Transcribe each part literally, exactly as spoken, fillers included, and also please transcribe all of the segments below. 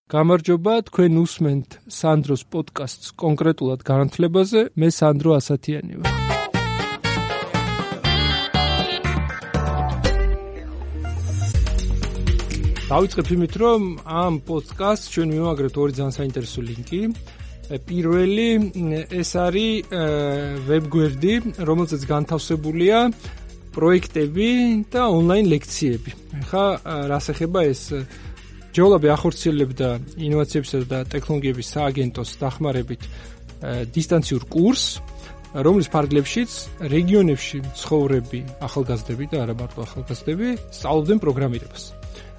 გამარჯობა, თქვენ უსმენთ სანდროს პოდკასტს კონკრეტულად განათლებაზე, მე სანდრო ასათიანი ვარ. დავიწყებ იმით, რომ ამ პოდკასტს ჩვენ მივაგრებთ ორი ძალიან საინტერესო ლინკი. პირველი ეს არის ვებგვერდი, რომელზეც განთავსებულია პროექტები და ონლაინ ლექციები. ხა რას ეხება ეს ჯეოლაბი ახორციელებდა ინოვაციებისა და ტექნოლოგიების სააგენტოს დახმარებით დისტანციურ კურსს, რომლის ფარგლებშიც რეგიონებში მცხოვრები ახალგაზრდები და არა მარტო ახალგაზრდები სწავლობდნენ პროგრამირებას.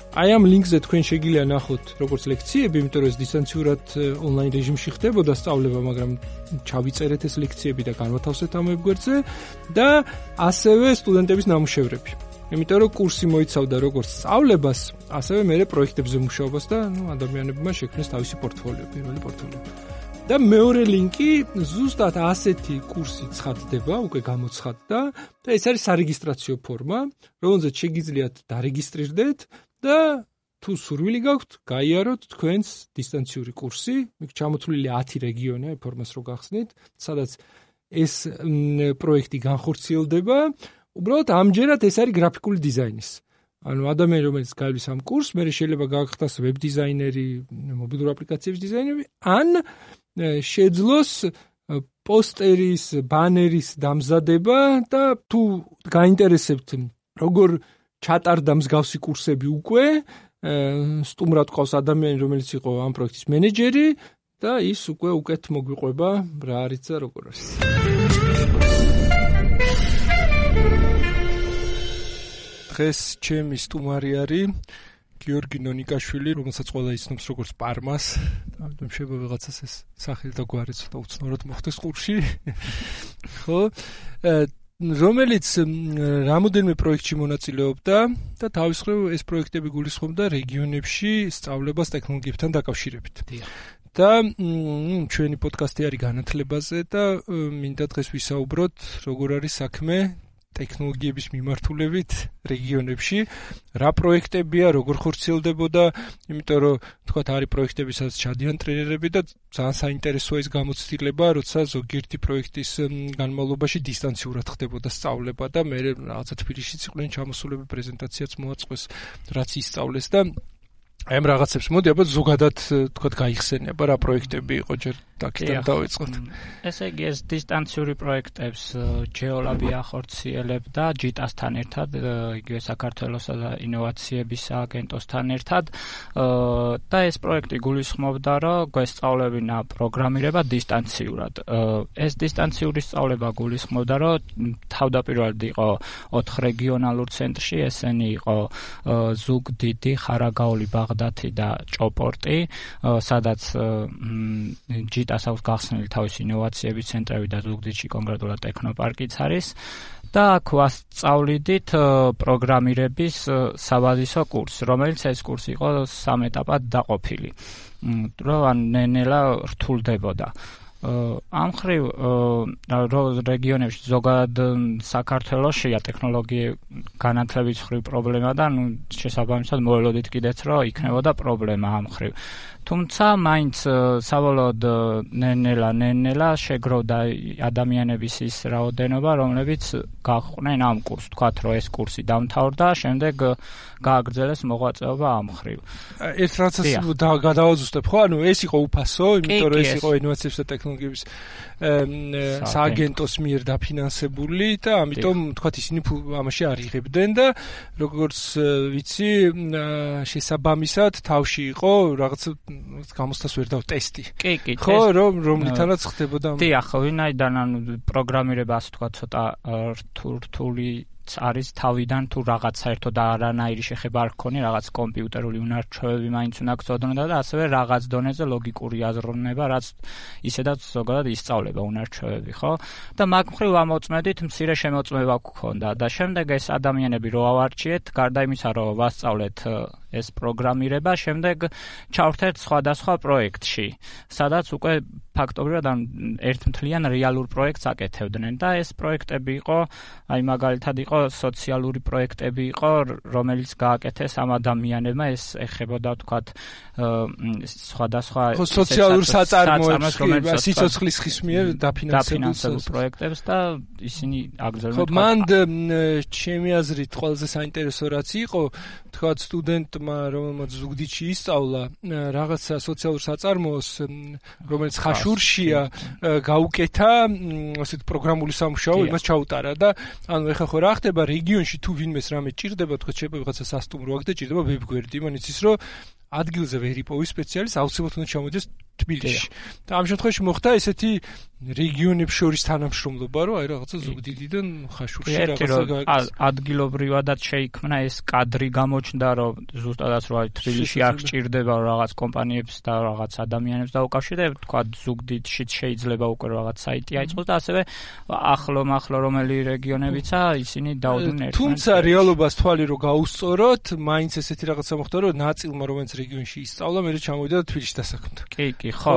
აი ამ ლინკზე თქვენ შეგიძლია ნახოთ როგორც ლექციები, იმიტომ რომ ეს დისტანციურად ონლაინ რეჟიმში ხდებოდა სწავლება, მაგრამ ჩავიწერეთ ეს ლექციები და განვათავსეთ ამ ვებგვერდზე და ასევე სტუდენტების ნამუშევრები. იმიტომ რომ კურსი მოიცავდა როგორც სწავლებას, ასევე მეორე პროექტებზე მუშაობას და ნუ ადამიანებმა შექმნეს თავისი პორტფოლიო, პირველი პორტფოლიო. და მეორე ლინკი ზუსტად ასეთი კურსი ცხადდება, უკვე გამოცხადდა და ეს არის სარეგისტრაციო ფორმა, რომელზეც შეგიძლიათ დარეგისტრირდეთ და თუ სურვილი გაქვთ, გაიაროთ თქვენს დისტანციური კურსი, იქ ჩამოთვლილი ათი რეგიონი, აი ფორმას რო გახსნით, სადაც ეს პროექტი განხორციელდება. უბრალოდ ამჯერად ეს არის გრაფიკული დიზაინის. ანუ ადამიანი რომელიც გაივლის ამ კურსს, მე შეიძლება გაახდას ვებ დიზაინერი, მობილური აპლიკაციების დიზაინერი, ან შეძლოს პოსტერის, ბანერის დამზადება და თუ გაინტერესებთ როგორ ჩატარდა მსგავსი კურსები უკვე, სტუმრად ყავს ადამიანი რომელიც იყო ამ პროექტის მენეჯერი და ის უკვე უკეთ მოგვიყვება რა არის და როგორ არის. დღეს ჩემი სტუმარი არის გიორგი ნონიკაშვილი, რომელსაც ყველა იცნობს როგორც პარმას. ამიტომ შეიძლება ვიღაცას ეს სახელი და გვარი ცოტა უცნაურად მოხდეს ყურში. ხო? რომელიც რამოდენიმე პროექტში მონაწილეობდა და თავის მხრივ ეს პროექტები გულისხმობდა რეგიონებში სწავლებას ტექნოლოგიებთან დაკავშირებით. და ჩვენი პოდკასტი არის განათლებაზე და მინდა დღეს ვისაუბროთ, როგორ არის საქმე ტექნოლოგიების მიმართულებით რეგიონებში, რა პროექტებია, როგორ ხორციელდებოდა, იმიტომ რომ თქვათ არის პროექტები, სადაც ჩადიან ტრენერები და ძალიან საინტერესოა ის გამოცდილება, როცა ზოგიერთი პროექტის განმავლობაში დისტანციურად ხდებოდა სწავლება და მე რაღაცა თბილისშიც იყვნენ ჩამოსულები, პრეზენტაციაც მოაწყვეს, რაც ისწავლეს და აი ამ რაღაცებს მოდი აბა ზოგადად თქვათ გაიხსენება რა პროექტები იყო ჯერ დაკიდან დავიწყოთ. ესე იგი ეს დისტანციური პროექტებს ჯეოლაბი ახორციელებდა ჯიტასთან ერთად, იგივე საქართველოსა და ინოვაციების სააგენტოსთან ერთად და ეს პროექტი გულისხმობდა, რომ გვესწავლებინა პროგრამირება დისტანციურად. ეს დისტანციური სწავლება გულისხმობდა, რომ თავდაპირველად იყო ოთხ რეგიონალურ ცენტრში, ესენი იყო ზუგდიდი, ხარაგაული, ბაღდათი და ჭოპორტი, სადაც ჯიტას აქვს გახსნილი თავისი ინოვაციების ცენტრები და ზუგდიდში კონკრეტულად ტექნოპარკიც არის და აქ ვასწავლიდით პროგრამირების საბაზისო კურსს, რომელიც ეს კურსი იყო სამ ეტაპად დაყოფილი, რომ ნელ-ნელა რთულდებოდა. ამ ხრივ რეგიონებში ზოგადად საქართველოშია ტექნოლოგია განათლების ხრივ პრობლემა და ნუ შესაბამისად მოველოდით კიდეც რომ იქნებოდა პრობლემა ამ ხრივ. თუმცა მაინც საბოლოოდ ნელ-ნელა ნელ-ნელა შეგროვდა ადამიანების ის რაოდენობა, რომლებიც გაყვნენ ამ კურსს, თქვათ რომ ეს კურსი დამთავრდა, შემდეგ გააგრძელეს მოღვაწეობა ამ ხრივ. ეს რაცაც გადავაზუსტებ, ხო? ანუ ეს იყო უფასო, იმიტომ რომ ეს იყო ინოვაციების და ტექნოლოგიების სააგენტოს მიერ დაფინანსებული და ამიტომ თქვათ ისინი ამაში არ იღებდნენ და როგორც ვიცი, შესაბამისად თავში იყო რაღაც გამოსთას ვერ დავა ტესტი. კი, კი, ხო, რომ რომლითანაც ხდებოდა. დიახ, ვინაიდან ანუ პროგრამირება ასე თქვა ცოტა რთული არის თავიდან თუ რაღაც საერთოდ არანაირი შეხება არ გქონია, რაღაც კომპიუტერული უნარჩვევები მაინც უნდა გწოდნოდა და ასევე რაღაც დონეზე ლოგიკური აზროვნება, რაც ისედაც ზოგადად ისწავლება უნარჩვევები, ხო? და მაგ მხრივ ამოწმედით მცირე შემოწმება გქონდა და შემდეგ ეს ადამიანები რო ავარჩიეთ, გარდა იმისა, რომ ვასწავლეთ ეს პროგრამირება, შემდეგ ჩავერთეთ სხვადასხვა პროექტში, სადაც უკვე ფაქტობრივად ან ერთმთლიან რეალურ პროექტს აკეთებდნენ და ეს პროექტები იყო, აი მაგალითად იყო სოციალური პროექტები იყო, რომელიც გააკეთეს ამ ადამიანებმა, ეს ეხებოდა თქვათ სხვადასხვა სოციალურ საწარმოებს, რომელიც სიცოცხლის ხის მიერ დაფინანსებულ პროექტებს და ისინი აგრძელებენ. ხო, მან ჩემი აზრით ყველაზე საინტერესო რაც იყო, თქვათ სტუდენტმა, რომელმაც ზუგდიდში ისწავლა რაღაცა სოციალურ საწარმოოს, რომელიც ხაშურშია, გაუკეთა ასეთ პროგრამული სამუშაო, იმას ჩაუტარა და ანუ ეხლა ხო რა ხდება რეგიონში თუ ვინმეს რამე ჭირდება, თქვათ შეიძლება ვიღაცა სასტუმრო აქვს და ჭირდება ვებგვერდი, იმან იცის რომ ადგილზე ვერ იპოვის სპეციალისტი, აუცილებლად უნდა ჩამოიდეს თბილისში. და ამ შემთხვევაში მოხდა ესეთი რეგიონებს შორის თანამშრომლობა, რომ აი რაღაცა ზუგდიდიდან ხაშურში რაღაცა გააკეთეს. ადგილობრივადაც შეიქმნა ეს კადრი გამოჩნდა, რომ ზუსტადაც რომ აი თბილისში არ გჭირდება რაღაც კომპანიებს და რაღაც ადამიანებს დაუკავშირდება, თქვა ზუგდიდშიც შეიძლება უკვე რაღაც საიტი აიწყოს და ასევე ახლო-მახლო რომელი რეგიონებიცა ისინი დაუდგნენ ერთმანეთს. თუმცა რეალობას თვალი რომ გაუსწოროთ, მაინც ესეთი რაღაცა მოხდა, რომ ნაწილმა რომელიც რეგიონში ისწავლა, მე ჩამოვიდა და თბილისში დასაქმდა. კი, კი, ხო.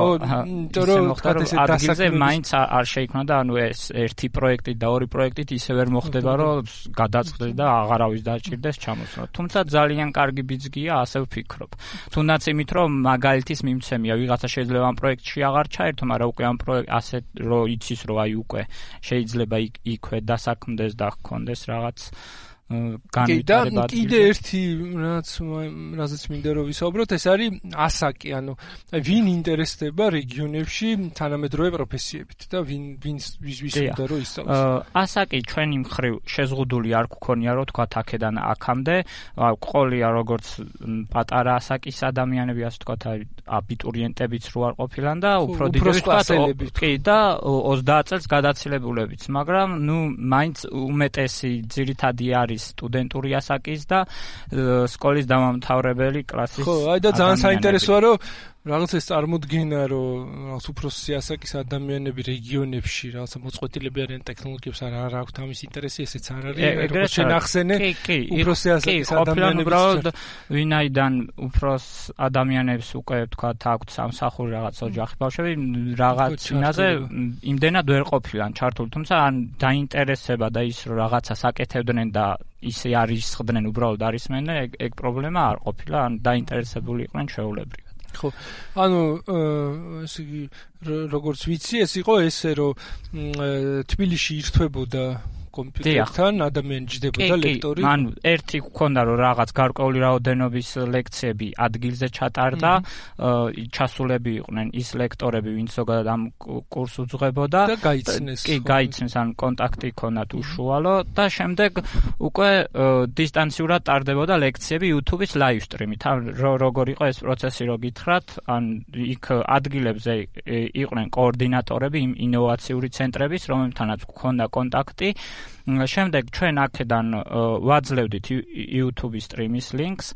ისე მოხდა, რომ ადგილზე მაინც არ შეიქმნა და ანუ ეს ერთი პროექტით და ორი პროექტით ისე ვერ მოხდება, რომ გადაწყდეს და აღარავის დაჭირდეს ჩამოსვლა. თუმცა ძალიან კარგი ბიძგია, ასე ვფიქრობ. თუნდაც იმით, რომ მაგალითის მიმცემია, ვიღაცა შეიძლება ამ პროექტში აღარ ჩაერთო, მაგრამ უკვე ამ პროექტ ასე რომ იცის, რომ აი უკვე შეიძლება იქვე დასაქმდეს და ჰქონდეს რაღაც განვითარება. კიდე ერთი რაც რაზეც მინდა რომ ვისაუბროთ, ეს არის ასაკი, ანუ ვინ ინტერესდება რეგიონებში თანამედროვე პროფესიებით და ვინ ვინს ვის უნდა რომ ისწავლოს. ასაკი ჩვენი მხრივ შეზღუდული არ გქონია, რომ თქვა აქედან აქამდე, ყოლია როგორც პატარა ასაკის ადამიანები, ასე თქვა აბიტურიენტებიც რო არ ყოფილან და უფრო დიდი კი და ოცდაათ წელს გადაცილებულებიც, მაგრამ ნუ მაინც უმეტესი ძირითადი არის სტუდენტური ასაკის და სკოლის დამამთავრებელი კლასის. ხო, აი და ძალიან საინტერესოა, რომ რაღაც ეს წარმოდგენა, რომ რაღაც უფროსი ასაკის ადამიანები რეგიონებში რაღაცა მოწყვეტილები არიან ტექნოლოგიებს არ არ აქვთ ამის ინტერესი, ესეც არ არის. როგორც შენახსენე, უფროსი ასაკის ადამიანები უბრალოდ ვინაიდან უფროს ადამიანებს უკვე თქვა აქვთ სამსახური რაღაც ოჯახი ბავშვები, რაღაც წინაზე იმდენად ვერ ყოფილან ჩართული, თუმცა ან დაინტერესება და ის რომ რაღაცას აკეთებდნენ და ისე არისხდნენ უბრალოდ არისმენენ, ეგ პრობლემა არ ყოფილა, ან დაინტერესებული იყვნენ ჩვეულებრივად. ხო, ანუ ესე იგი როგორც ვიცი, ეს იყო ესე, რომ თბილისში ირთვებოდა კომპიუტერთან ადამიანი ჯდებოდა ლექტორი. მან ერთი გქონდა რომ რაღაც გარკვეული რაოდენობის ლექციები ადგილზე ჩატარდა, ჩასულები იყვნენ ის ლექტორები, ვინც ზოგადად ამ კურსს უძღვებოდა და გაიცნეს. კი, გაიცნეს, ან კონტაქტი ჰქონდათ უშუალო და შემდეგ უკვე დისტანციურად ტარდებოდა ლექციები YouTube-ის live stream-ით. როგორ იყო ეს პროცესი, რო გითხრათ, ან იქ ადგილებზე იყვნენ კოორდინატორები იმ ინოვაციური ცენტრების, რომლებთანაც გქონდა კონტაქტი. შემდეგ ჩვენ აქედან ვაძლევდით YouTube-ის სტრიმის ლინკს,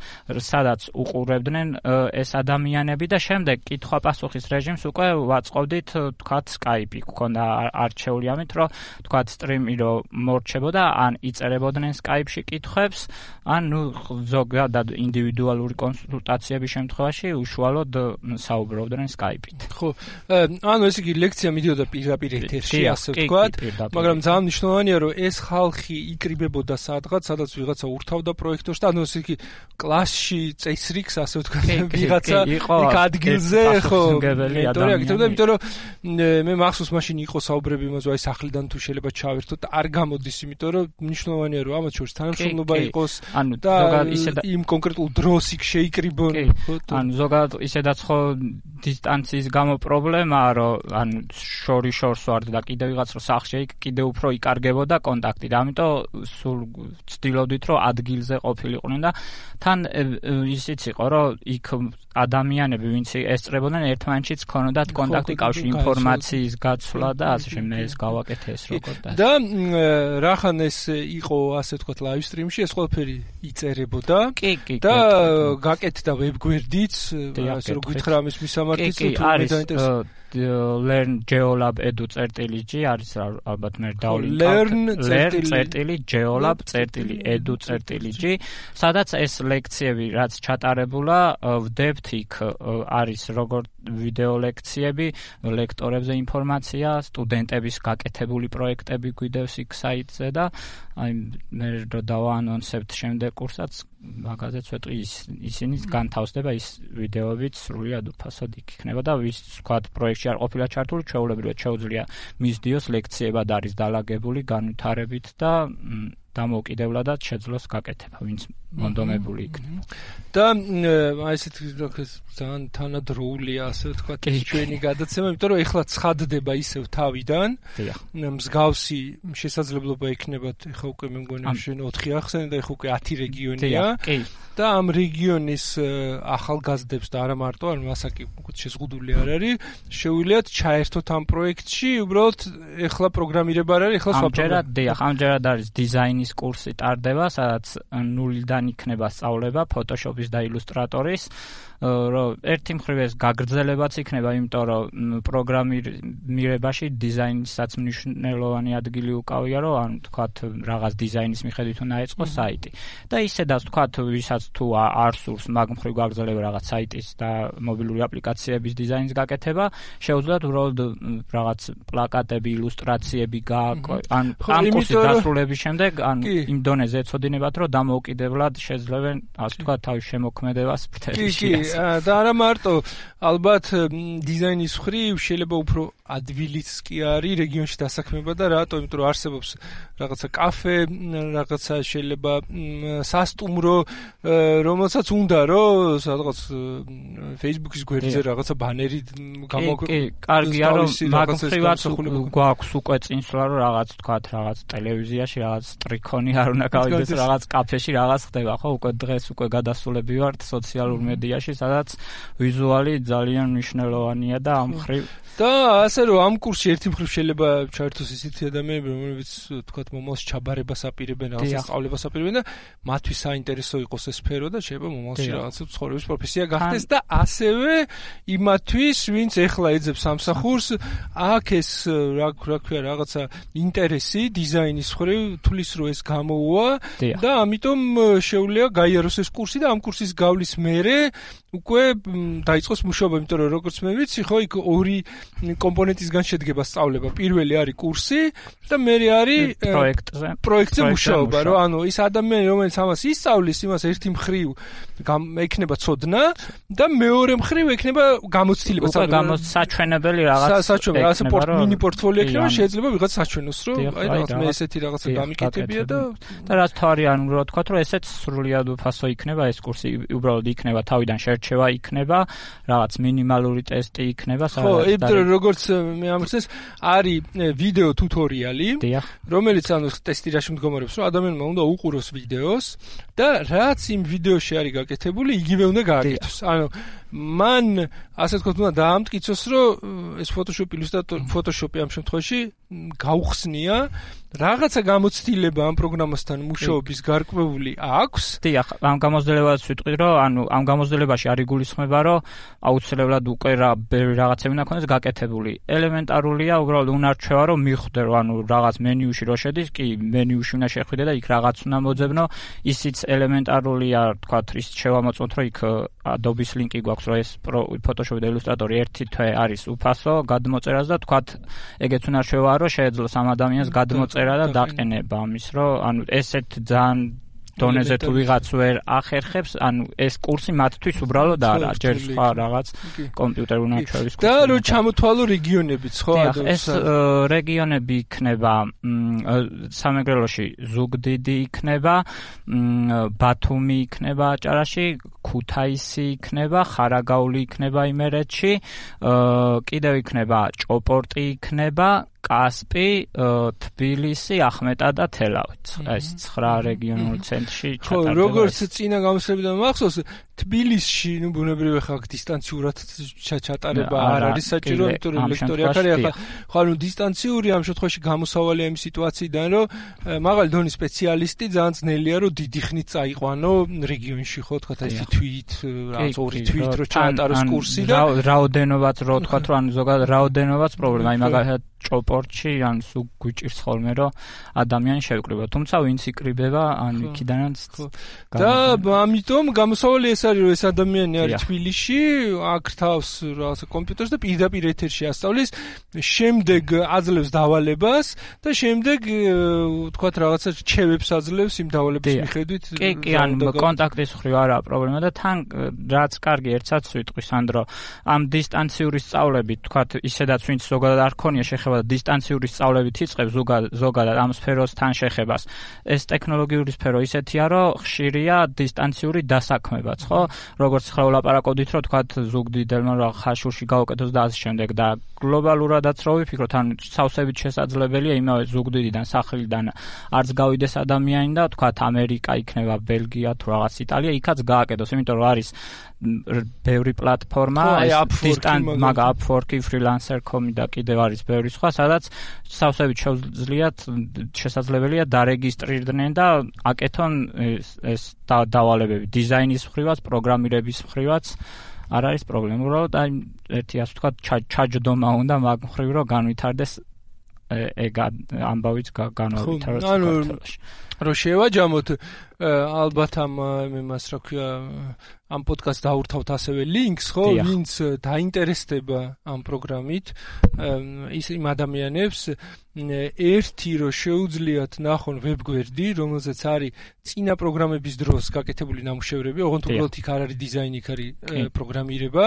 სადაც უყურებდნენ ეს ადამიანები და შემდეგ კითხვა-პასუხის რეჟიმს უკვე ვაწყობდით, თქვათ Skype-ი გქონდა არჩეული ამით, რომ თქვათ სტრიმი რო მორჩებოდა, ან იწერებოდნენ Skype-ში კითხვებს, ან ნუ ზოგადად ინდივიდუალური კონსულტაციების შემთხვევაში უშუალოდ საუბრობდნენ Skype-ით. ხო, ანუ ესე იგი ლექცია მიდიოდა პირდაპირ ეთერში, ასე ვთქვათ, მაგრამ ძალიან მნიშვნელოვანია, რომ ეს ხალხი იკრიბებოდა სადღაც, სადაც ვიღაცა ურთავდა პროექტორს და ანუ ესე იგი კლასში წესრიგს, ასე ვთქვათ, ვიღაცა იქ ადგილზე, ხო, მენტორი აკეთებდა, იმიტომ რომ მე მახსოვს მაშინ იყო საუბრები იმაზე, აი სახლიდან თუ შეიძლება ჩავერთოთ, არ გამოდის, იმიტომ რომ მნიშვნელოვანია, რომ ამათ შორის თანამშრომლობა იყოს და იმ კონკრეტულ დროს იქ შეიკრიბონ. ანუ ზოგადად ისედაც ხო დისტანციის გამო პრობლემაა, რომ ან შორი შორს ვარ და კიდე ვიღაც რო სახლში იქ კიდე უფრო იკარგებოდა კონტაქტი და ამიტომ სულ ვცდილობდით რომ ადგილზე ყოფილიყვნენ და თან ისიც იყო რომ იქ ადამიანები ვინც ესწრებოდნენ ერთმანეთშიც ქონოდათ კონტაქტი, კავშირი, ინფორმაციის გაცვლა და ასე შემდეგ ეს გავაკეთე ეს როგორ და და რახან ეს იყო ასე ვთქვათ live stream-ში ეს ყველაფერი იწერებოდა და გაკეთდა ვებგვერდიც, ასე რომ გითხრა ამის მისამართიც თუ დაინტერესდა learn geolab edu წერტილი ჯი არის ალბათ მე დავლიnkავ learn ler.geolab.edu.gi, სადაც ეს ლექციები, რაც ჩატარებულა, ვდებთ იქ არის როგორც ვიდეო ლექციები, ლექტორებზე ინფორმაცია, სტუდენტების გაკეთებული პროექტები გვიდევს იქ საიტზე და აი მე რო დავაანონსებთ შემდეგ კურსაც, მაგაზე ცოტა ისინი განთავსდება ის ვიდეოებით სრულიად უფასოდ იქ იქნება და ვის თქვა პროექტში არ ყოფილა ჩართული, ჩვეულებრივად შეუძლია მისდიოს ლექციებად არის დალაგებული განვითარებით და დამოუკიდებლადაც შეძლოს გაკეთება, ვინც მონდომებული იქნება. და აი ესეთ ძალიან თანადროულია, ასე ვთქვათ, ჩვენი გადაცემა, იმიტომ რომ ეხლა ცხადდება ისევ თავიდან. მსგავსი შესაძლებლობა ექნებათ, ეხლა უკვე მე მგონი შენ ოთხი ახსენე და ეხლა უკვე ათი რეგიონია. და ამ რეგიონის ახალგაზრდებს და არა მარტო, ან მასაკი შეზღუდული არ არის, შეუძლიათ ჩაერთოთ ამ პროექტში, უბრალოდ ეხლა პროგრამირება არ არის, ეხლა სხვა პროგრამა. ამჯერად, დიახ, ამჯერად არის დიზაინის კურსი ტარდება, სადაც ნულიდან იქნება სწავლება Photoshop-ის და Illustrator-ის, რომ ერთი მხრივ ეს გაგრძელებაც იქნება, იმიტომ რომ პროგრამირებაში დიზაინისაც მნიშვნელოვანი ადგილი უკავია, რომ ან თქვათ რაღაც დიზაინის მიხედვით უნდა ეწყოს საიტი. და ისედაც თქვათ, ვისაც თუ არ სურს მაგ მხრივ გაგრძელება რაღაც საიტის და მობილური აპლიკაციების დიზაინის გაკეთება, შეუძლიათ უბრალოდ რაღაც პლაკატები, ილუსტრაციები გააკო, ან ამ კურსის დასრულების შემდეგ, ან იმ დონეზე ეცოდინებათ, რომ დამოუკიდებლად შეძლებენ, ასე ვთქვათ, თავის შემოქმედებას ფრთებში. და არა მარტო, ალბათ დიზაინის მხრივ შეიძლება უფრო ადვილიც კი არის რეგიონში დასაქმება და რატო? იმიტომ რომ არსებობს რაღაცა კაფე, რაღაცა შეიძლება სასტუმრო, რომელსაც უნდა რომ სადღაც Facebook-ის გვერდზე რაღაცა ბანერი გამოქვეყნოს. კი, კარგია რომ მაგ მხრივაც გვაქვს უკვე წინსვლა, რომ რაღაც თქვათ, რაღაც ტელევიზიაში, რაღაც ტრიქონი არ უნდა გავიდეს, რაღაც კაფეში რაღაც ხდება, ხო? უკვე დღეს უკვე გადასულები ვართ სოციალურ მედიაში, სადაც ვიზუალი ძალიან მნიშვნელოვანია და ამ მხრივ და ასე რომ ამ კურსში ერთი მხრივ შეიძლება ჩაერთოს ისეთი ადამიანები, რომლებიც თქვათ მომავალში ჩაბარებას აპირებენ, რაღაცა სწავლებას აპირებენ და მათთვის საინტერესო იყოს ეს სფერო და შეიძლება მომავალში რაღაცა ცხოვრების პროფესია გახდეს და ასევე იმათთვის, ვინც ეხლა ეძებს სამსახურს, აქ ეს რა რა ქვია რაღაცა ინტერესი დიზაინის მხრივ თulis რო ეს გამოუვა და ამიტომ შეუძლია გაიაროს ეს კურსი და ამ კურსის გავლის მერე უკვე დაიწყოს მუშაობა, იმიტომ რომ როგორც მე ვიცი, ხო, იქ ორი კომპონენტისგან შედგება სწავლება. პირველი არის კურსი და მერე არის პროექტზე. პროექტზე მუშაობა, რომ ანუ ის ადამიანი, რომელიც ამას ისწავლის, იმას ერთი მხრივ ექნება ცოდნა და მეორე მხრივ ექნება გამოცდილება. უკვე გამოსაჩვენებელი რაღაც საჩვენებელი, ასე მინი პორტფოლიო ექნება, შეიძლება ვიღაც საჩვენოს, რომ აი რაღაც მე ესეთი რაღაცა გამიკეთებია და და რაც თავი ანუ რა თქვა, რომ ესეც სრულიად უფასო იქნება ეს კურსი, უბრალოდ იქნება თავიდან შერჩევა იქნება, რაღაც მინიმალური ტესტი იქნება, სადაც ხო, როგორც მე ამხსნეს, არის ვიდეო ტუტორიალი, რომელიც ანუ ტესტირაში მდგომარეობს, რომ ადამიანმა უნდა უყუროს ვიდეოს და რაც იმ ვიდეოში არის გაკეთებული, იგივე უნდა გააკეთოს. ანუ მან ასე ვთქვათ, უნდა დაამტკიცოს, რომ ეს Photoshop Illustrator, Photoshop-ი ამ შემთხვევაში გაუხსნია, რაღაცა გამოცდილება ამ პროგრამასთან მუშაობის გარკვეული აქვს. დიახ, ამ გამოცდილებას ვიტყვი, რომ ანუ ამ გამოცდილებაში არ იგულისხმება, რომ აუცილებლად უკვე რა რაღაცები უნდა ქონდეს გაკეთებული. ელემენტარულია, უბრალოდ უნარჩვევა, რომ მიხვდე, რომ ანუ რაღაც მენიუში რო შედის, კი, მენიუში უნდა შეხვიდე და იქ რაღაც უნდა მოძებნო. ისიც ელემენტარულია, თქვა, ის შევამოწმოთ, რომ იქ Adobe-ის ლინკი გვაქვს, რომ ეს Photoshop და Illustrator ერთი თვე არის უფასო გადმოწერას და თქვა, ეგეც უნარჩვევაა, რომ შეეძლოს ამ ადამიანს გადმოწერა და დაყენება ამის, რომ ანუ ესეთ ძალიან დონეზე თუ ვიღაც ვერ ახერხებს, ანუ ეს კურსი მათთვის უბრალოდ არა, ჯერ სხვა რაღაც კომპიუტერ უნარჩვევის კურსი. და რო ჩამოთვალო რეგიონებიც, ხო? ეს რეგიონები იქნება სამეგრელოში ზუგდიდი იქნება, ბათუმი იქნება აჭარაში, ქუთაისი იქნება, ხარაგაული იქნება იმერეთში, კიდევ იქნება ჭოპორტი იქნება, კასპი, თბილისი, ახმეტა და თელავეთი. ეს ცხრა რეგიონულ ცენტრში ჩატარდება. ხო, როგორც წინა გამოსვლებიდან მახსოვს, თბილისში, ნუ ბუნებრივი ხა დისტანციურად ჩატარება არ არის საჭირო, იმიტომ რომ ლექტორი აქ არის, ახლა ხო ნუ დისტანციური ამ შემთხვევაში გამოსავალია იმ სიტუაციიდან, რომ მაღალი დონის სპეციალისტი ძალიან ძნელია, რომ დიდი ხნით წაიყვანო რეგიონში, ხო, თქვა ეს თვით, რაღაც ორი თვით რო ჩაატაროს კურსი და რაოდენობაც რო თქვა, რომ ანუ ზოგადად რაოდენობაც პრობლემა, აი მაგალითად ჭოპორტში ან სულ გვიჭირს ხოლმე რომ ადამიანი შევკრიბა, თუმცა ვინც იკრიბება ან იქიდანაც და ამიტომ გამოსავალი ეს არის რომ ეს ადამიანი არის თბილისში, აქ თავს რაღაცა კომპიუტერს და პირდაპირ ეთერში ასწავლის, შემდეგ აძლევს დავალებას და შემდეგ თქვათ რაღაცა რჩევებს აძლევს იმ დავალების მიხედვით. კი, კი, ან კონტაქტის მხრივ არაა პრობლემა და თან რაც კარგი ერთსაც ვიტყვი სანდრო, ამ დისტანციური სწავლებით თქვათ ისედაც ვინც ზოგადად არ ქონია შეხება დისტანციური სწავლებით იწყებს ზოგადად ამ სფეროსთან შეხებას. ეს ტექნოლოგიური სფერო ისეთია, რომ ხშირია დისტანციური დასაქმებაც, ხო? როგორც ხლა ვლაპარაკობდით, რომ თქვათ ზუგდიდელმა რა ხაშურში გავუკეთოს და ასე შემდეგ და გლობალურადაც რო ვიფიქროთ, ან სავსებით შესაძლებელია იმავე ზუგდიდიდან, სახლიდან არც გავიდეს ადამიანი და თქვათ ამერიკა იქნება, ბელგია თუ რაღაც იტალია, იქაც გააკეთოს, იმიტომ რომ არის ბევრი პლატფორმა, მაგ Upwork-ი, freelancer key com-ი და კიდევ არის ბევრი სხვა, სადაც სავსებით შეუძლიათ შესაძლებელია დარეგისტრირდნენ და აკეთონ ეს დავალებები დიზაინის მხრივაც, პროგრამირების მხრივაც არ არის პრობლემა. უბრალოდ აი ერთი ასე ვთქვათ ჩაჯდომა უნდა მაგ მხრივ რომ განვითარდეს ეგ ამბავიც განვითარდეს საქართველოში. რომ შევაჯამოთ ალბათ ამ იმას რა ქვია ამ პოდკასტს დაურთავთ ასევე ლინკს, ხო, ვინც დაინტერესდება ამ პროგრამით, ის იმ ადამიანებს ერთი რომ შეუძლიათ ნახონ ვებგვერდი, რომელზეც არის წინა პროგრამების დროს გაკეთებული ნამუშევრები, ოღონდ უბრალოდ იქ არ არის დიზაინი, იქ არის პროგრამირება,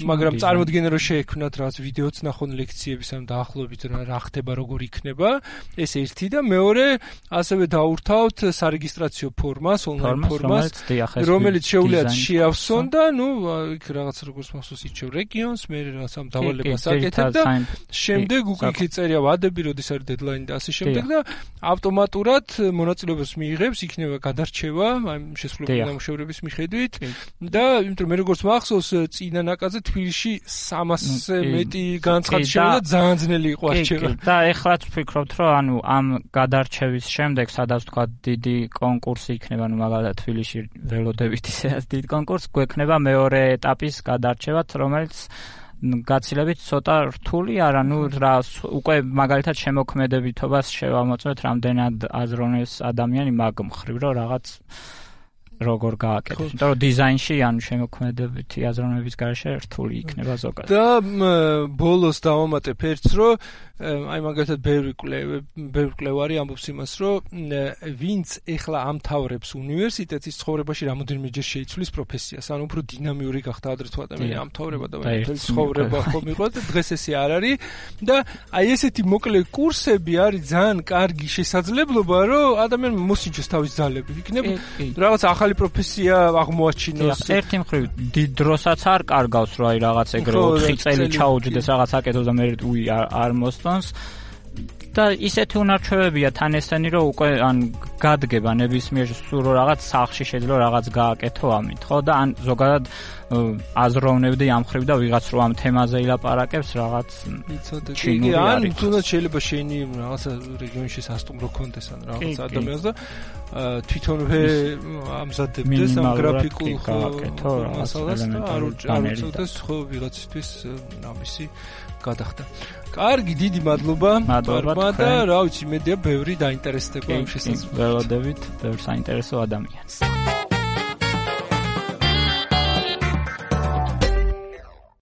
მაგრამ წარმოიდგინე რომ შეექმნათ რაღაც ვიდეოც ნახონ ლექციების ამ დაახლოებით რა ხდება, როგორ იქნება, ეს ერთი და მეორე ასევე დაურთავთ სარეგისტრაციო ფორმას, ონლაინ ფორმას, რომელიც შეუძლიათ შეავსონ და ნუ იქ რაღაც როგორც მახსოვს ირჩევ რეგიონს, მე რაღაც ამ დავალებას აკეთებ და შემდეგ უკვე იქ წერია ვადები, როდის არის დედლაინი და ასე შემდეგ და ავტომატურად მონაწილეობას მიიღებს, იქნება გადარჩევა აი შესრულებული ნამუშევრების მიხედვით და იმიტომ მე როგორც მახსოვს წინა ნაკადზე თბილისში სამასზე მეტი განცხადი შევიდა, ძალიან ძნელი იყო არჩევა. და ეხლაც ვფიქრობთ რომ ანუ ამ გადარჩევის შემდეგ სადაც თქვა დიდი კონკურსი იქნება, ნუ მაგალითად თბილისში ველოდებით ისედაც დიდი კონკურსი გვექნება მეორე ეტაპის გადარჩევაც, რომელიც გაცილებით ცოტა რთული არა, ნუ რა უკვე მაგალითად შემოქმედებითობას შევამოწმეთ, რამდენად აზროვნებს ადამიანი მაგ მხრივ რომ რაღაც როგორ გააკეთოს. იმიტომ რომ დიზაინში ანუ შემოქმედებითი აზროვნების გარშე რთული იქნება ზოგადად. და ბოლოს დავამატებ ერთს, რომ აი მაგალითად ბევრი კვლევარი, ბევრი კვლევარი ამბობს იმას, რომ ვინც ეხლა ამთავრებს უნივერსიტეტის ცხოვრებაში რამოდენიმეჯერ შეიცვლის პროფესიას, ანუ უფრო დინამიური გახდა ადრე თუ ადამიანი ამთავრება და მთელი ცხოვრება ხომ იყო და დღეს ესე არ არის და აი ესეთი მოკლე კურსები არის ძალიან კარგი შესაძლებლობა, რომ ადამიანმა მოსინჯოს თავის ძალები. იქნება რაღაც ახალი პროფესია აღმოაჩინოს. ერთი მხრივ დიდ დროსაც არ კარგავს, რომ აი რაღაც ეგრე ოთხი წელი ჩაუჯდეს რაღაც აკეთოს და მე უი არ მოსწონს. და ისეთი უნარჩვევებია თან ესენი, რომ უკვე ან გადგება ნებისმიერ სულ რაღაც სახლში შეიძლება რაღაც გააკეთო ამით, ხო და ან ზოგადად აზროვნებდი ამ მხრივ და ვიღაც რო ამ თემაზე ილაპარაკებს რაღაც იცოდე. კი, ან თუნდაც შეიძლება შენი რაღაცა რეგიონში სასტუმრო კონდეს ან რაღაც ადამიანს და თვითონვე ამზადებდეს ამ გრაფიკულ მასალას და არ უწევდეს ხო ვიღაცისთვის ამისი გადახდა. კარგი, დიდი მადლობა. მადლობა და რა ვიცი, მედია ბევრი დაინტერესდება ამ შესაძლებლობით. ველოდებით ბევრ საინტერესო ადამიანს.